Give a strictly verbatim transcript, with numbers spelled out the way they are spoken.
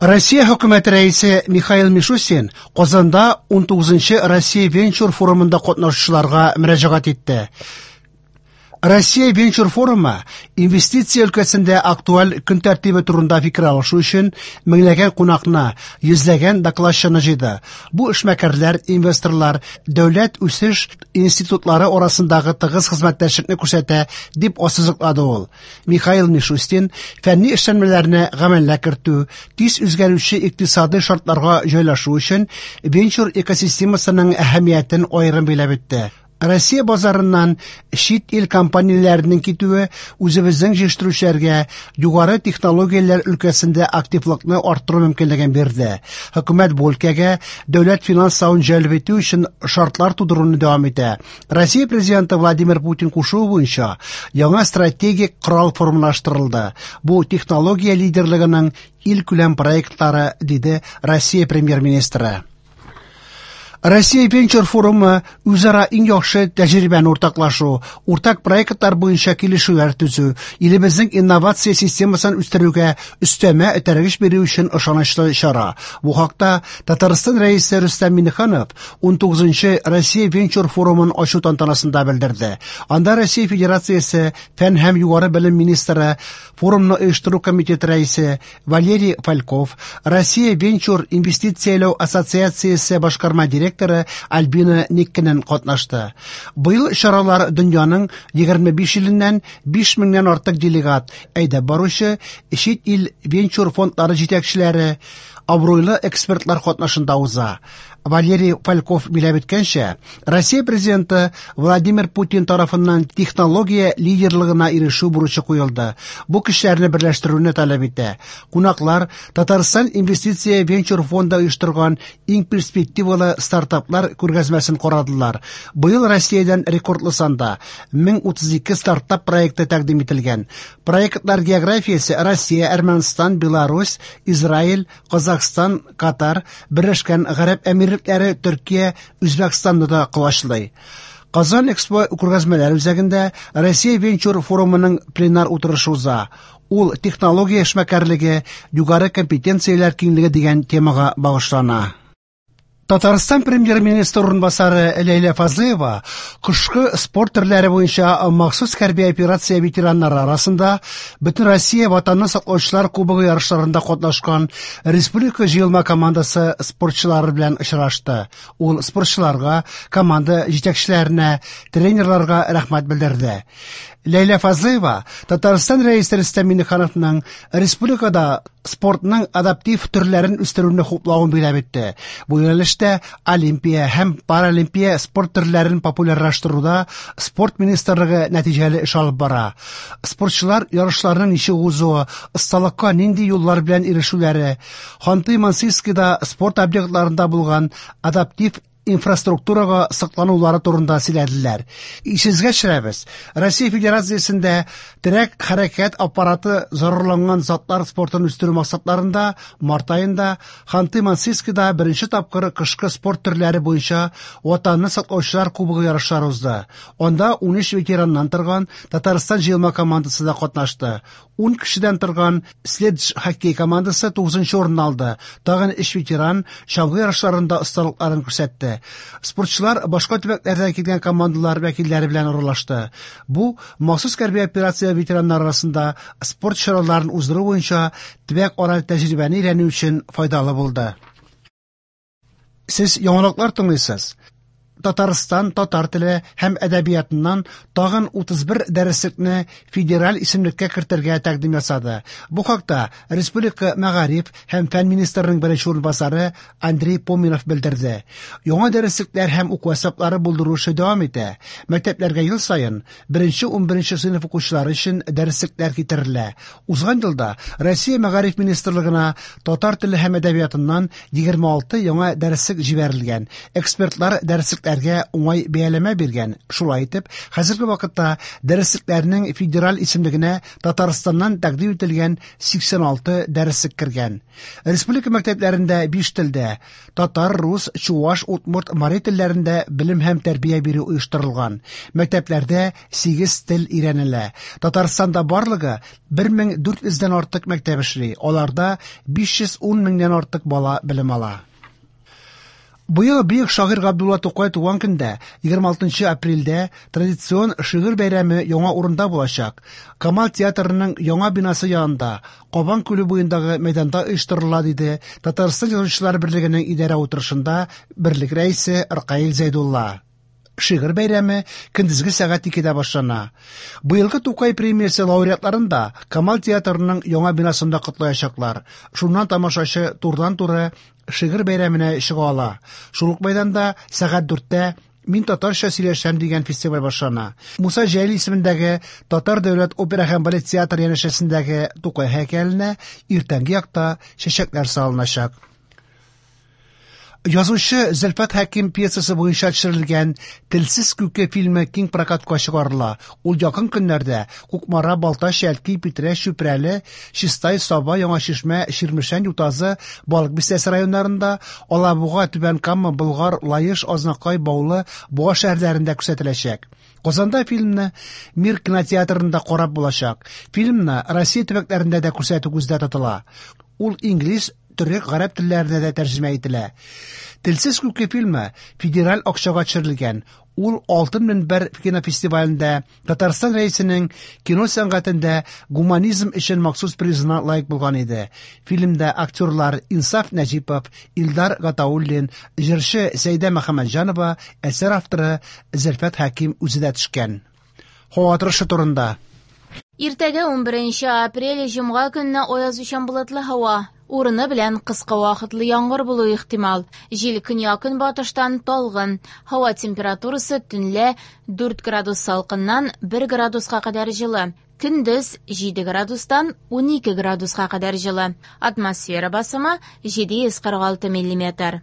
Россия хөкүмәте рәисе Михаил Мишустин Казанда унтугызынчы Россия венчур форумында катнашучыларга мөрәҗәгать итте. Россия венчур форумы инвестиция өлкәсендә актуаль көн тәртибе турында фикер алышу өчен меңләгән кунакны, йөзләгән докладчыны җыйды. Бу эшмәкәрләр, инвесторлар, дәүләт үсеш институтлары арасындагы тыгыз хезмәттәшлекне күрсәтә, дип ассызыклады ул. Михаил Мишустин фәнни эшләнмәләрне гамәлгә кертү, тиз үзгәрүче икътисадый шартларга җайлашу өчен венчур экосистемасының әһәмиятен аерым билгеләп үтте. Россия базарыннан чит ил компанияләренең китүе үзебезнең җитештерүчеләргә югары технологияләр өлкәсендә активлыкны арттыру мөмкинлеген бирде. Хөкүмәт бу өлкәгә дәүләт финанславын җәлеп итү өчен шартлар тудыруны дәвам итә. Россия президенты Владимир Путин кушуы буенча яңа стратегик корал формалаштырылды. Бу технология лидерлыгының илкүләм проектлары, диде Россия премьер-министры. Россия венчур форумы үзара иң яхшы тәҗрибәне уртаклашу, уртак проектлар буенча килешүләр төзү, илебезнең инновация системасын үстерүгә өстәмә этәргеч бирү өчен ышанычлы чара. Бу хакта Татарстан Рәисе Рөстәм Миңнеханов унтугызынчы Россия венчур форумын ачу тантанасында белдерде. Анда Россия Федерациясе фән һәм югары белем министры, форумны оештыру комитеты рәисе Валерий Фальков, Россия венчур инвестицияләү ассоциациясе башкарма директоры Альбина Никкинен катнашты. Быел чаралар дөньяның егерме биш иленнән биш меңнән артык делегат, әйдәп баручы чит ил венчур фондлары җитәкчеләре, абруйлы экспертлар катнашында уза. Валерий Фальков биләп үткәнчә, Россия президенты Владимир Путин тарафыннан технология лидерлыгына ирешү бурычы куелды. Бу кешеләрне берләштерүне таләп итә. Кунаклар Татарстан инвестиция венчур фонды оештырган иң перспективалы стартаплар күргәзмәсен карадылар. Быел Россиядән рекордлы санда мең утыз ике стартап проекты тәкъдим ителгән. Проектлар географиясе Россия, Әрмәнстан, Беларусь, Израиль, Казахстан, Катар, Берләшкән Гарәп Әмирлекләре, Төркия, Үзбәкстанны да колачлый. Казан Экспо күргәзмәләр үзәгендә Россия венчур форумының пленар утырышы уза. Ул технология эшмәкәрлеге, югары компетенцияләр киңлеге дигән темага багышлана. Татарстан премьер-министры урынбасары Ләйлә Фазлыева кышкы спорт төрләре буенча махсус хәрби операция ветераннары арасында Бөтенроссия Ватанны саклаучылар кубогы ярышларында катнашкан республика җыелма командасы спортчылары белән очрашты. Ул спортчыларга, команда җитәкчеләренә, тренерларга рәхмәт белдерде. Ләйлә Фазлыева Татарстан Рәисе Рөстәм Миңнехановның республикада спортның адаптив төрләрен үстерүне хуплавын билгеләп үтте. Бу юнәлештә олимпия һәм паралимпия спорт төрләрен популярлаштыруда спорт министрлыгы нәтиҗәле эш алып бара. Спортчылар ярышларның ничек узуы, осталыкка нинди юллар белән ирешүләре, Ханты-Мансийскида спорт объектларында булган адаптив инфраструктурага сакланулары турында сөйләделәр. Исегезгә төшерәбез, Россия Федерациясендә терәк хәрәкәт аппараты зарарланган затлар спортын үстерү максатларында март аенда Ханты-Мансийскида беренче тапкыр кышкы спорт төрләре буенча Ватанны саклаучылар кубогы ярышлары узды. Анда ун өч ветераннан торган Татарстан җыелма командасы да катнашты. Ун кешедән торган Следж хоккей командасы тугызынчы урын алды. Тагын өч ветеран чаңгы ярышларында осталыкларын күрсәтте. Спортчылар башка төбәкләрдән килгән командалар вәкилләре белән аралашты. Бу махсус хәрби операция ветераннары арасында спорт чараларын уздыру буенча төбәк-ара тәҗрибәне өйрәнү өчен файдалы булды. Сез яңалыклар тыңлыйсыз. Татарстан татар теле һәм әдәбиятыннан тагын утыз бер дәреслекне федераль исемлеккә кертергә тәкъдим ясады. Бу хакта Республика мәгариф һәм фән министрының беренче урынбасары Андрей Поминов белдерде. Яңа дәреслекләр һәм уку әсбаплары булдыру эше дәвам итә. Мәктәпләргә ел саен беренче ун беренче сыйныф укучылары өчен дәреслекләр китерелә. Узган елда Россия мәгариф министрлыгына татар теле һәм әдәбиятыннан егерме алты яңа дәреслек җибәрелгән. Экспертлар дәреслекләрне дәреслекләргә уңай бәяләмә биргән. Шулай итеп, хәзерге вакытта дәреслекләрнең федераль исемлегенә Татарстаннан тәкъдим ителгән сиксән алты дәреслек кергән. Республика мәктәпләрендә биш телдә – татар, рус, чуаш, удмурт, мари телләрендә белем һәм тәрбия бирү оештырылган. Мәктәпләрдә сигез тел өйрәнелә. Татарстанда барлыгы бер мең дүрт йөздән артык мәктәп эшли. Аларда биш йөз ун меңнән артык бала белем ала. Быел бөек шагыйрь Габдулла Тукай туган көндә, егерме алтынчы апрельдә, традицион шигырь бәйрәме яңа урында булачак. Камал театрының яңа бинасы янында, Кабан күле буендагы мәйданда оештырыла, диде Татарстан Язучылар берлегенең идарә утырышында берлек рәисе Ркаил Зәйдулла. Шигырь бәйрәме көндезге сәгать икедә башлана. Быелгы Тукай премиясе лауреатларын да Камал театрының яңа бинасында котлаячаклар. Шуннан тамашачы турыдан-туры шигырь бәйрәменә чыга ала. Шул ук мәйданда сәгать дүрттә Мин татарча сөйләшәм дигән фестиваль башлана. Муса Җәлил исемендәге Татар дәүләт опера һәм балет театры янәшәсендәге Тукай һәйкәленә иртәнге якта чәчәкләр салыначак. Язучы Зөлфәт Хәким пьесасы буенча төшерелгән Телсез күке фильмы киң прокатка чыгарыла. Ул якын көннәрдә Кукмара, Балтач, Әлки, Питрәч, Чүпрәле, Чистай, Саба, Яңа Чишмә, Чирмешән, Ютазы, Балык Бистәсе районнарында, Алабуга, Түбән Кама, Болгар, Лаеш, Азнакай, Баулы, Буа шәһәрләрендә күрсәтеләчәк. Казанда фильмны Мир кинотеатрында карап булачак. Фильмны Россия төбәкләрендә дә күрсәтү күздә тотыла. Ул инглиз, төрек, гарәп телләренә дә тәрҗемә ителә. Телсез күке фильмы федераль акчага төшерелгән. Ул Алтын мөнбәр кинофестивалендә Татарстан рәисенең кино сәнгатендә гуманизм өчен махсус призына лаек булган иде. Фильмда актерлар Инсаф Нәҗипов, Илдар Гатауллин, җырчы Сәйдә Мөхәммәтҗанова, әсәр авторы Зөлфәт Хәким үзе дә төшкән. Һава торышы турында. Иртәгә ун беренче апрель җомга көнне аязучан болытлы һава. Урыны белән кыска вакытлы яңгыр булу ихтимал. Җил көньяк-көнбатыштан талгын. Һава температурасы төнлә дүрт градус салкыннан бер градуска кадәр җылы. Көндез җиде градустан унике градуска кадәр җылы. Атмосфера басымы җиде йөз кырык алты миллиметр.